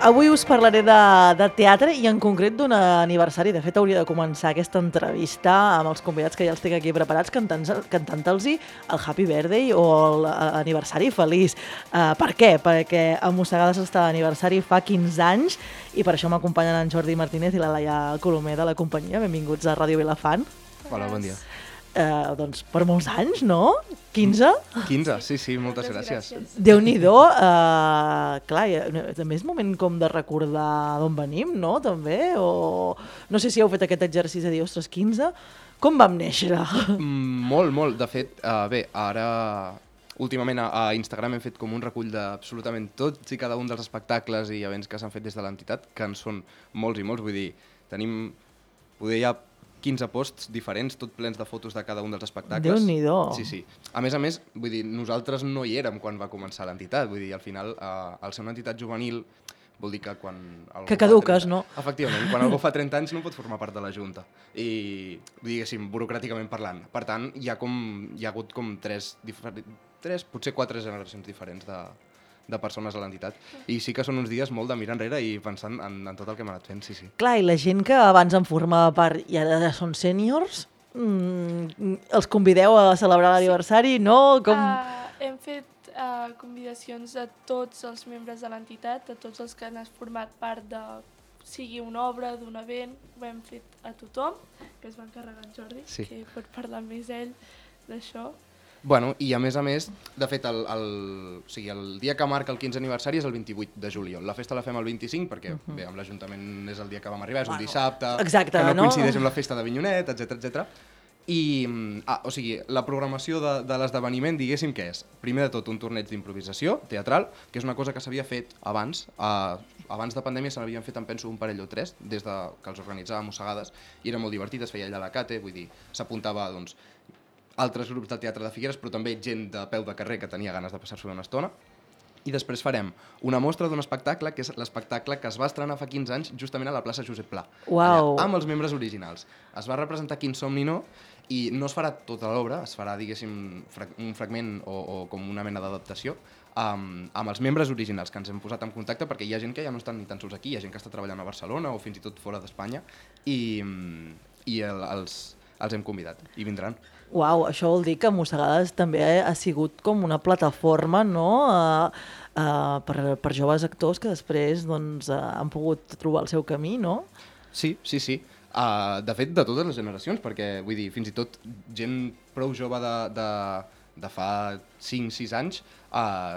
Avui us parlaré de teatre i en concret d'un aniversari. De fet, hauria de començar aquesta entrevista amb els convidats que ja els tinc aquí preparats cantant-los el Happy Birthday o l'aniversari feliç. Per què? Perquè a Mossegades està d'aniversari fa 15 anys i per això m'acompanyen en Jordi Martínez i la Laia Colomer de la companyia. Benvinguts a Ràdio Vilafant. Hola, bon dia. Doncs per molts anys, no? 15? 15, sí, moltes gràcies. Déu-n'hi-do, clar, també és moment com de recordar d'on venim, no? També, o no sé si heu fet aquest exercici de dir, ostres, 15? Com vam néixer? Molt. De fet, bé, ara últimament a Instagram hem fet com un recull d'absolutament tots i cada un dels espectacles i events que s'han fet des de l'entitat, que en són molts i molts, vull dir, tenim, poder ja 15 posts diferents, tot plens de fotos de cada un dels espectacles. Déu-n'hi-do. Sí. A més, vull dir, nosaltres no hi érem quan va començar l'entitat, vull dir, al final, al ser una entitat juvenil, vol dir que quan... Que caduques, no? Efectivament, quan algú fa 30 anys no pot formar part de la Junta. I, diguéssim, burocràticament parlant. Per tant, hi ha hagut com tres, potser 4 generacions diferents de persones a l'entitat. I sí que són uns dies molt de mirar enrere i pensant en tot el que hem anat fent, sí. Clar, i la gent que abans en formava part i ara són sèniors, els convideu a celebrar l'aniversari, no? Hem fet convidacions a tots els membres de l'entitat, a tots els que han format part de sigui una obra, d'un event, ho hem fet a tothom, que es va encarregar en Jordi, que pot parlar més ell d'això. Bueno, i a més, de fet, el dia que marca el 15 aniversari és el 28 de juliol. La festa la fem el 25 perquè, bé, amb l'Ajuntament és el dia que vam arribar, és un dissabte, exacte, que no coincideix amb la festa d'Avinyonet, etc. I, o sigui, la programació de l'esdeveniment, diguéssim, què és? Primer de tot, un torneig d'improvisació teatral, que és una cosa que s'havia fet abans. Abans de pandèmia se n'havien fet, em penso, un parell o 3, des que els organitzàvem Mossegades, i era molt divertit, es feia allà a la Cate, vull dir, s'apuntava, doncs, altres grups del Teatre de Figueres, però també gent de peu de carrer que tenia ganes de passar-s'ho una estona. I després farem una mostra d'un espectacle, que és l'espectacle que es va estrenar fa 15 anys justament a la plaça Josep Pla, allà, amb els membres originals. Es va representar Quin somni no, i no es farà tota l'obra, es farà, diguéssim, un fragment o com una mena d'adaptació amb els membres originals que ens hem posat en contacte, perquè hi ha gent que ja no estan ni tan sols aquí, hi ha gent que està treballant a Barcelona o fins i tot fora d'Espanya, i els hem convidat i vindran. Uau, això vol dir que Mossegades també ha sigut com una plataforma, no?, per joves actors que després doncs, han pogut trobar el seu camí, no? Sí. De fet, de totes les generacions, perquè vull dir, fins i tot gent prou jove de fa 5-6 anys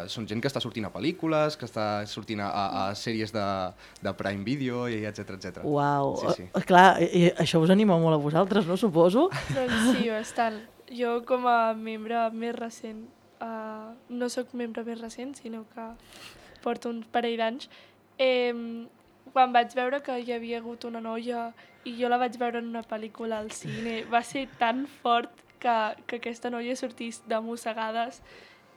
són gent que està sortint a pel·lícules, que està sortint a sèries de Prime Video, etc. Uau, sí. Clar, això us anima molt a vosaltres, no, suposo? Doncs sí, bastant. Jo com a membre més recent, no sóc membre més recent, sinó que porto un parell d'anys, quan vaig veure que hi havia hagut una noia i jo la vaig veure en una pel·lícula al cine, va ser tan fort que aquesta noia sortís de Mossegades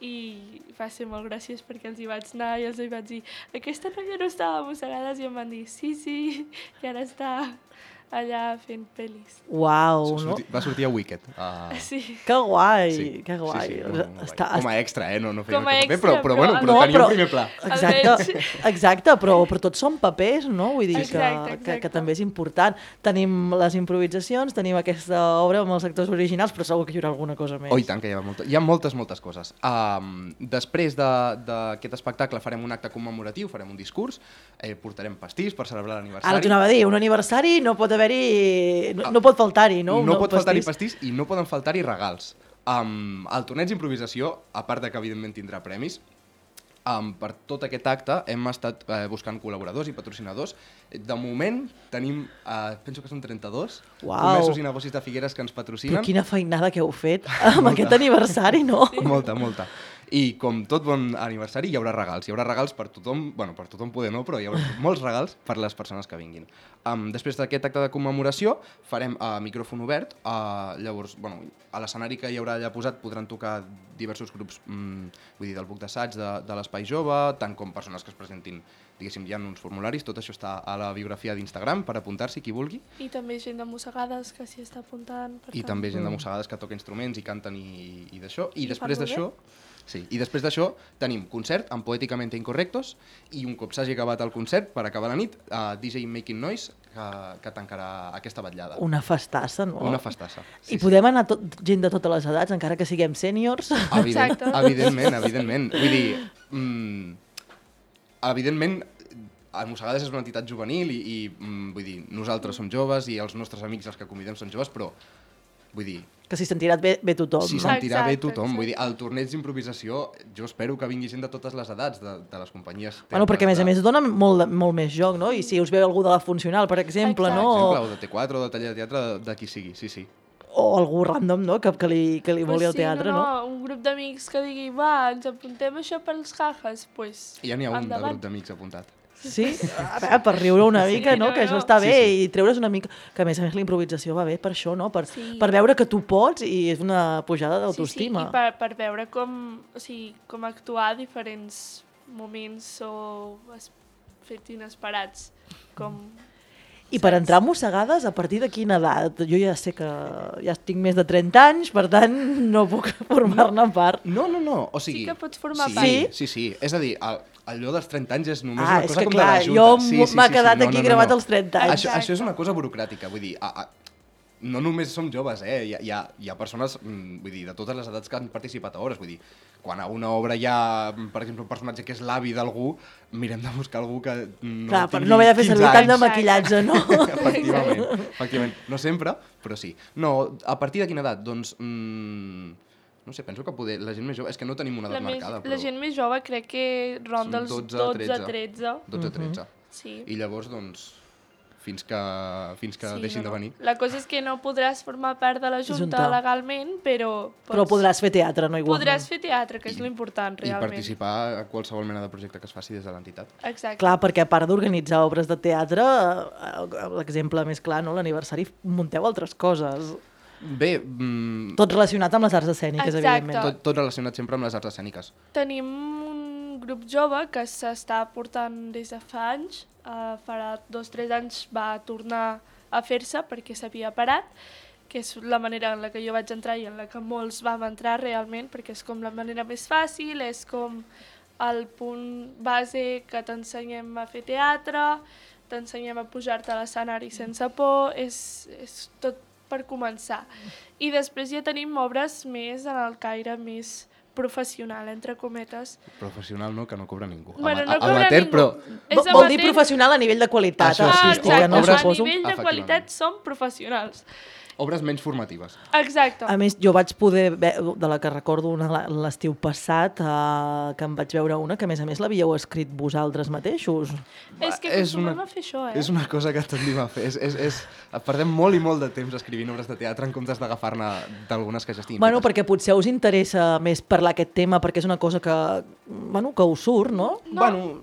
i va ser molt graciós perquè els hi vaig anar i els hi vaig dir aquesta noia no estava a Mossegades i em van dir sí, i ara està allà fent pel·lis. Uau, no? Va sortir a Wicked. Sí. Que guai, sí. Que guai. Sí, com a extra, no feia com a paper, extra, però tenia un primer pla. Exacte, però tots són papers, no? Vull dir exacte. que també és important. Tenim les improvisacions, tenim aquesta obra amb els actors originals, però segur que hi haurà alguna cosa més. Oh, i tant, que hi ha moltes coses. Després d'aquest espectacle farem un acte commemoratiu, farem un discurs, portarem pastís per celebrar l'aniversari. Ara t'ho anava a dir, un aniversari no pot no pot faltar-hi, no? No pot faltar-hi pastís i no poden faltar-hi regals. El torneig d'improvisació, a part de que evidentment tindrà premis, per tot aquest acte hem estat buscant col·laboradors i patrocinadors. De moment tenim, penso que són 32 comerços i negocis de Figueres que ens patrocinen. Però quina feinada que heu fet amb aquest aniversari, no? Molta. I com tot bon aniversari hi haurà regals. Hi haurà regals per tothom, bueno, per tothom poder no, però hi haurà molts regals per les persones que vinguin. Després d'aquest acte de commemoració farem micròfon obert. Llavors, bueno, a l'escenari que hi haurà allà posat podran tocar diversos grups vull dir, del Buc d'Assaig, de l'Espai Jove, tant com persones que es presentin, diguéssim, hi ha uns formularis, tot això està a la biografia d'Instagram per apuntar-s'hi qui vulgui. I també gent de Mossegades que s'hi està apuntant. I també gent de Mossegades que toca instruments i canten i d'això. I després d'això Sí. I després d'això tenim concert amb Poéticamente Incorrectos i un cop s'hagi acabat el concert, per acabar la nit, DJ Making Noise, que tancarà aquesta vetllada. Una festassa, no? Una festassa. I podem anar gent de totes les edats, encara que siguem sèniors? Exacte. Evidentment. Vull dir, evidentment, a Mossegades és una entitat juvenil i vull dir, nosaltres som joves i els nostres amics, els que convidem, són joves, però vull dir... Que s'hi sentirà bé tothom, S'hi no? sentirà bé tothom. Exacte. Vull dir, al torneig d'improvisació jo espero que vingui gent de totes les edats, de les companyies... Bueno, perquè a més dona molt més joc, no? I si us veu algú de la Funcional, per exemple, Exacte. no? O de T4 o de taller de teatre, de qui sigui, sí. O algú random, no? Que li voli el teatre, no? Un grup d'amics que digui, va, ens apuntem això pels jajas, doncs Ja n'hi ha un de endavant. grup d'amics apuntat. Sí? A veure, per riure una mica, no? no, Que això no. està bé Sí. i treure's una mica... Que a més la improvisació va bé per això, no? Per Sí. veure que tu pots i és una pujada d'autoestima. Sí, i per veure com actuar a diferents moments o fets inesperats. I per entrar a Mossegades, a partir de quina edat? Jo ja sé que ja tinc més de 30 anys, per tant no puc formar-ne part. No. O sigui... Sí que pots formar part. Sí. És a dir, allò dels 30 anys és només Ah, una és cosa que com clar, de la junta. jo m'ha quedat aquí gravat als 30 anys. Això és una cosa burocràtica, vull dir, no només som joves, hi ha persones, vull dir, de totes les edats que han participat a obres, vull dir, quan a una obra hi ha, per exemple, un personatge que és l'avi d'algú, mirem de buscar algú que no Clar, per tingui no haver de fer 15 servir tant de anys. maquillatge, no? Efectivament. No sempre, però sí. No, a partir de quina edat? Doncs, no sé, penso que poder, la gent més jove, és que no tenim una edat marcada, però... La gent més jove crec que ronda els 12-13. 12-13. Sí. I llavors, doncs, fins que deixin de venir. La cosa és que no podràs formar part de la Junta Junta. legalment, però... Però podràs fer teatre, no igualment. Podràs fer teatre, que és l'important, I realment. participar a qualsevol mena de projecte que es faci des de l'entitat. Exacte. Clar, perquè a part d'organitzar obres de teatre, l'exemple més clar, no? L'aniversari, munteu altres coses. Bé, Tot relacionat amb les arts escèniques, Exacte. evidentment. tot relacionat sempre amb les arts escèniques. Tenim un grup jove que s'està portant des de fa anys. Farà 2-3 anys va tornar a fer-se perquè s'havia parat, que és la manera en la que jo vaig entrar i en la que molts vam entrar realment, perquè és com la manera més fàcil, és com el punt base que t'ensenyem a fer teatre, t'ensenyem a pujar-te a l'escenari sense por, és tot per començar. I després ja tenim obres més en el caire més professional, entre cometes. Professional no, que no cobra ningú. Bueno, no cobra Amateur, ningú. però... És Vol dir amateur. professional a nivell de qualitat Això sí, artística, exacte, no? obres- a Suposo. nivell de Efectivament. qualitat som professionals. Obres menys formatives. Exacte. A més, jo vaig poder, de la que recordo una l'estiu passat, que em vaig veure una, que a més l'havíeu escrit vosaltres mateixos. És que és acostumem una- a fer això, És una cosa que tendim a fer. Perdem molt i molt de temps escrivint obres de teatre en comptes d'agafar-ne d'algunes que ja estiguin Bueno, fetes. perquè potser us interessa més parlar aquest tema, perquè és una cosa que us surt, no? No. Bueno,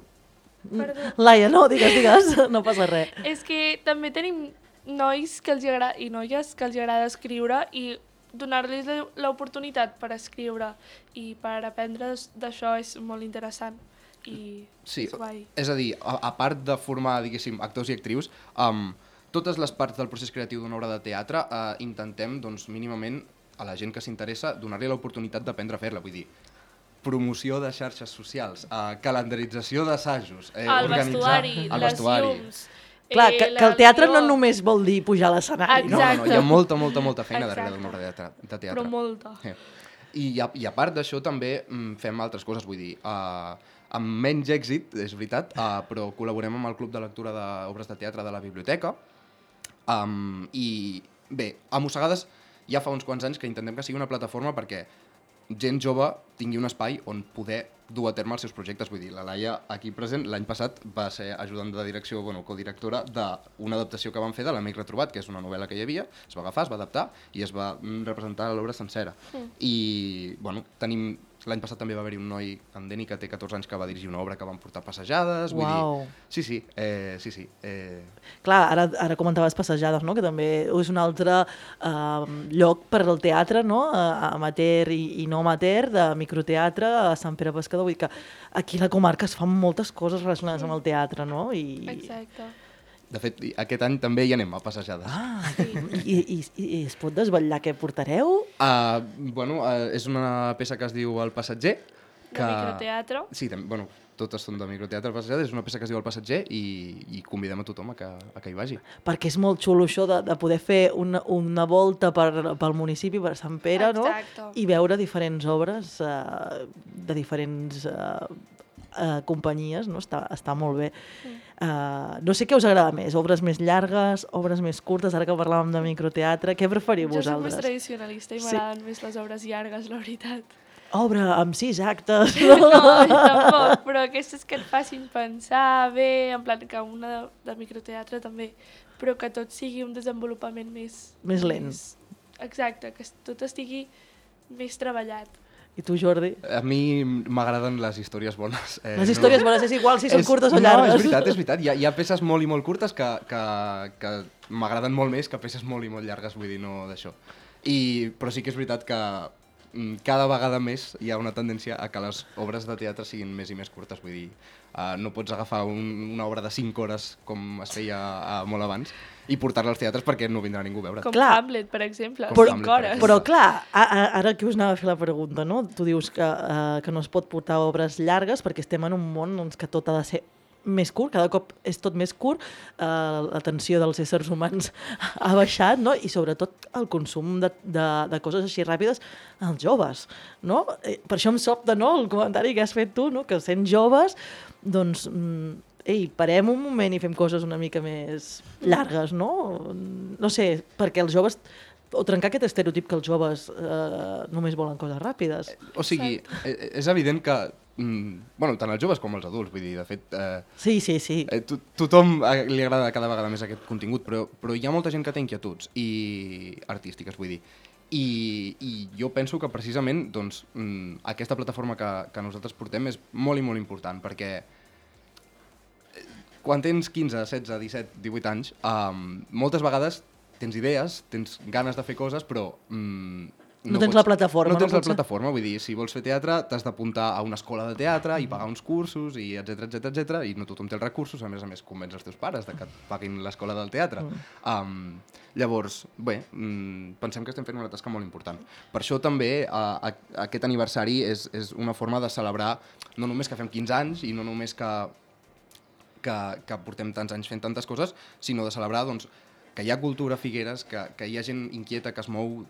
Perdó. Laia, no, digues, no passa res. És que també tenim nois que els agrada, i noies que els agrada escriure i donar-los l'oportunitat per escriure i per aprendre d'això és molt interessant. I sí, és guai. és a dir, a part de formar, diguéssim, actors i actrius, totes les parts del procés creatiu d'una obra de teatre intentem, doncs, mínimament, a la gent que s'interessa, donar-li l'oportunitat d'aprendre a fer-la. Vull dir, promoció de xarxes socials, calendarització d'assajos, El vestuari, el les vestuari. llums... Clar, que el teatre no només vol dir pujar a l'escenari, no? No, hi ha molta feina darrere Exacte. d'una obra de teatre. Però molta. I a part d'això també fem altres coses, vull dir, amb menys èxit, és veritat, però col·laborem amb el Club de Lectura d'Obres de Teatre de la Biblioteca. I bé, a Mossegades ja fa uns quants anys que intentem que sigui una plataforma perquè gent jove tingui un espai on poder dur a terme els seus projectes. Vull dir, la Laia, aquí present, l'any passat va ser ajudant de direcció, codirectora d'una adaptació que vam fer de L'Amic Retrobat, que és una novel·la que hi havia, es va agafar, es va adaptar i es va representar l'obra sencera. I, tenim... L'any passat també va haver-hi un noi, en Deni, que té 14 anys, que va dirigir una obra que van portar passejades. Uau. Sí. Clar, ara comentaves passejades, no? Que també és un altre lloc per al teatre, no? Amateur i no amateur, de microteatre a Sant Pere Pescador. Vull dir que aquí a la comarca es fan moltes coses relacionades amb el teatre, no? Exacte. De fet, aquest any també hi anem a passejades. I es pot desvetllar què portareu? És una peça que es diu El Passatger. De microteatre. Sí, bueno, totes són de microteatre passejades. És una peça que es diu El Passatger i convidem a tothom a que hi vagi. Perquè és molt xulo això de poder fer una volta pel municipi, per Sant Pere, no? I veure diferents obres de diferents companyies, no? Està molt bé. No sé què us agrada més, obres més llargues, obres més curtes, ara que parlàvem de microteatre, què preferiu vosaltres? Jo soc més tradicionalista i m'agraden més les obres llargues, la veritat. Obra amb 6 actes. No, tampoc, però aquestes que et facin pensar bé, en plan que una de microteatre també, però que tot sigui un desenvolupament més lent. Exacte, que tot estigui més treballat. I tu, Jordi? A mi m'agraden les històries bones. Les històries bones és igual si són curtes o llargues. No, és veritat. Hi ha peces molt i molt curtes que m'agraden molt més que peces molt i molt llargues, vull dir, no d'això. Però sí que és veritat que cada vegada més hi ha una tendència a que les obres de teatre siguin més i més curtes, vull dir, no pots agafar una obra de 5 hores com es feia molt abans i portar-la als teatres perquè no vindrà ningú a veure't. Com Hamlet, per exemple, 5 hores. Però clar, ara que us anava a fer la pregunta, no? Tu dius que no es pot portar obres llargues perquè estem en un món que tot ha de ser més curt, cada cop és tot més curt, l'atenció dels éssers humans ha baixat, no? I sobretot el consum de coses així ràpides als joves, no? Per això em sobta, no?, el comentari que has fet tu, no?, que sent joves, doncs, parem un moment i fem coses una mica més llargues, no? No sé, perquè els joves, o trencar aquest estereotip que els joves només volen coses ràpides. O sigui, és evident que tant els joves com els adults, vull dir, de fet... Sí. Tothom li agrada cada vegada més aquest contingut, però hi ha molta gent que té inquietuds artístiques, vull dir. I jo penso que precisament doncs, aquesta plataforma que nosaltres portem és molt i molt important, perquè quan tens 15, 16, 17, 18 anys, moltes vegades tens idees, tens ganes de fer coses, però... No tens la plataforma. No tens la plataforma, vull dir, si vols fer teatre t'has d'apuntar a una escola de teatre i pagar uns cursos, i etcètera, i no tothom té els recursos, a més convenç els teus pares de que et paguin l'escola del teatre. Llavors, pensem que estem fent una tasca molt important. Per això també aquest aniversari és una forma de celebrar no només que fem 15 anys i no només que portem tants anys fent tantes coses, sinó de celebrar doncs, que hi ha cultura a Figueres, que hi ha gent inquieta que es mou,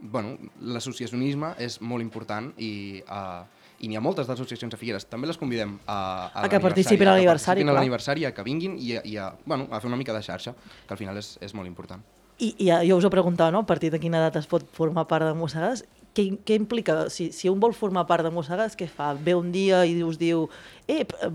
l'associacionisme és molt important i n'hi ha moltes d'associacions a Figueres. També les convidem a que participin a l'aniversari, a que vinguin i a fer una mica de xarxa, que al final és molt important. I jo us ho preguntava, no? A partir de quina edat es pot formar part de Mossegades? Què implica? Si un vol formar part de Mossegades, què fa? Ve un dia i us diu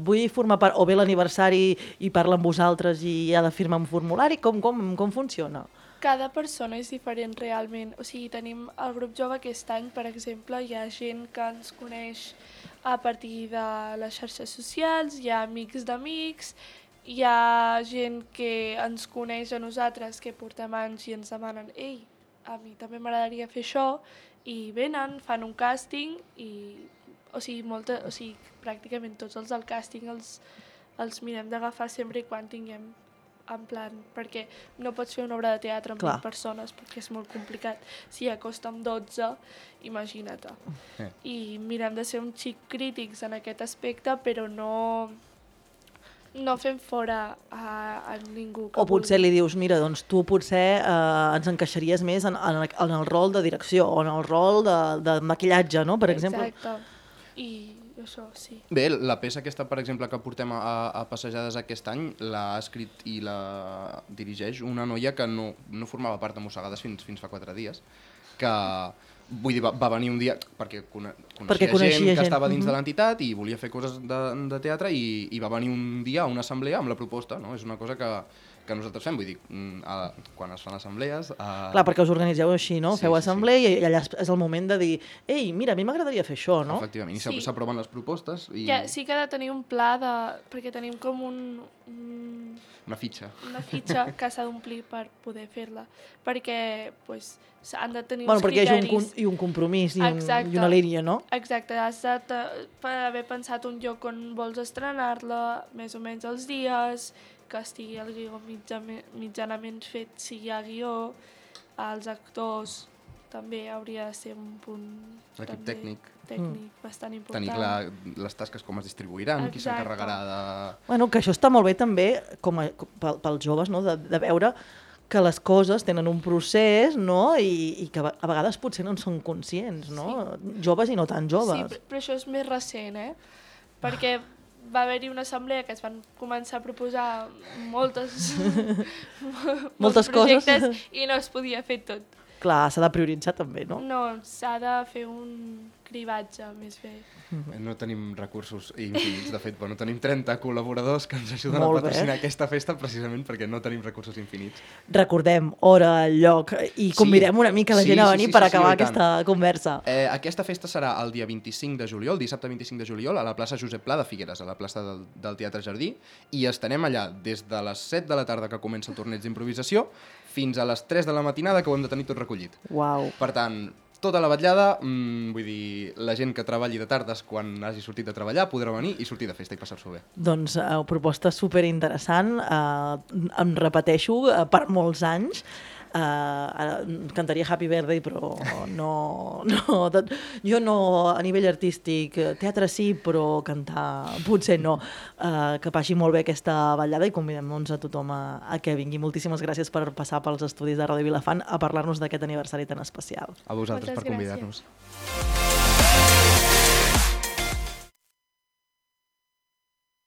vull formar part, o ve l'aniversari i parla amb vosaltres i ha de firmar un formulari? Com funciona? Cada persona és diferent realment. O sigui, tenim el grup jove aquest any, per exemple, hi ha gent que ens coneix a partir de les xarxes socials, hi ha amics d'amics, hi ha gent que ens coneix a nosaltres, que portem anys i ens demanen a mi també m'agradaria fer això, i venen, fan un càsting i pràcticament tots els del càsting els mirem d'agafar sempre i quan tinguem en plan, perquè no pots fer una obra de teatre amb 20 persones perquè és molt complicat. Si ja costa amb 12, imagina't. I mirem de ser un xic crítics en aquest aspecte, però no fem fora a ningú. O potser li dius, mira, doncs tu potser ens encaixaries més en el rol de direcció o en el rol de maquillatge, no?, per exemple. Exacte. I això, sí. Bé, la peça aquesta, per exemple, que portem a Passejades aquest any, l'ha escrit i la dirigeix una noia que no formava part de Mossegades fins fa 4 dies, que, vull dir, va venir un dia perquè coneixia gent que estava dins de l'entitat i volia fer coses de teatre i va venir un dia a una assemblea amb la proposta, no? És una cosa que nosaltres fem, vull dir, quan es fan assemblees... Clar, perquè us organitzeu així, no? Feu assemblea i allà és el moment de dir mira, a mi m'agradaria fer això, no? Efectivament, i s'aproven les propostes i... Sí que ha de tenir un pla perquè tenim com una fitxa. Una fitxa que s'ha d'omplir per poder fer-la, perquè han de tenir uns criteris... Perquè hi ha un compromís i una línia, no? Exacte, has d'haver pensat un lloc on vols estrenar-la, més o menys els dies, que estigui el guió mitjanament fet, si hi ha guió, els actors també hauria de ser un punt L'equip tècnic bastant important. Tenir clar les tasques com es distribuiran, qui s'encarregarà de... Bueno, que això està molt bé també pels joves, no? de veure que les coses tenen un procés, no? I que a vegades potser no en són conscients, no? Sí. Joves i no tan joves. Sí, però això és més recent, perquè va haver-hi una assemblea que es van començar a proposar molts projectes coses i no es podia fer tot. Clar, s'ha de prioritzar també, no? No, s'ha de fer un cribatge més bé. No tenim recursos infinits, de fet, bueno, tenim 30 col·laboradors que ens ajuden Molt a patrocinar bé. aquesta festa precisament perquè no tenim recursos infinits. Recordem hora, lloc i convidem una mica la gent a venir per acabar aquesta conversa. Aquesta festa serà el dia 25 de juliol, dissabte 25 de juliol, a la plaça Josep Pla de Figueres, a la plaça del Teatre Jardí, i estarem allà des de les 7 de la tarda que comença el torneig d'improvisació fins a les 3 de la matinada que ho hem de tenir tot recollit. Uau. Per tant, tota la vetllada, vull dir, la gent que treballi de tardes quan hagi sortit de treballar podrà venir i sortir de festa i passar-s'ho bé. Doncs proposta superinteressant, em repeteixo, per molts anys. Cantaria Happy Birthday, però jo no a nivell artístic, teatre sí, però cantar potser no. Que passi molt bé aquesta ballada i convidem a tothom a que vingui. Moltíssimes gràcies per passar pels estudis de Ràdio Vilafant a parlar-nos d'aquest aniversari tan especial. A vosaltres per convidar-nos. Gràcies.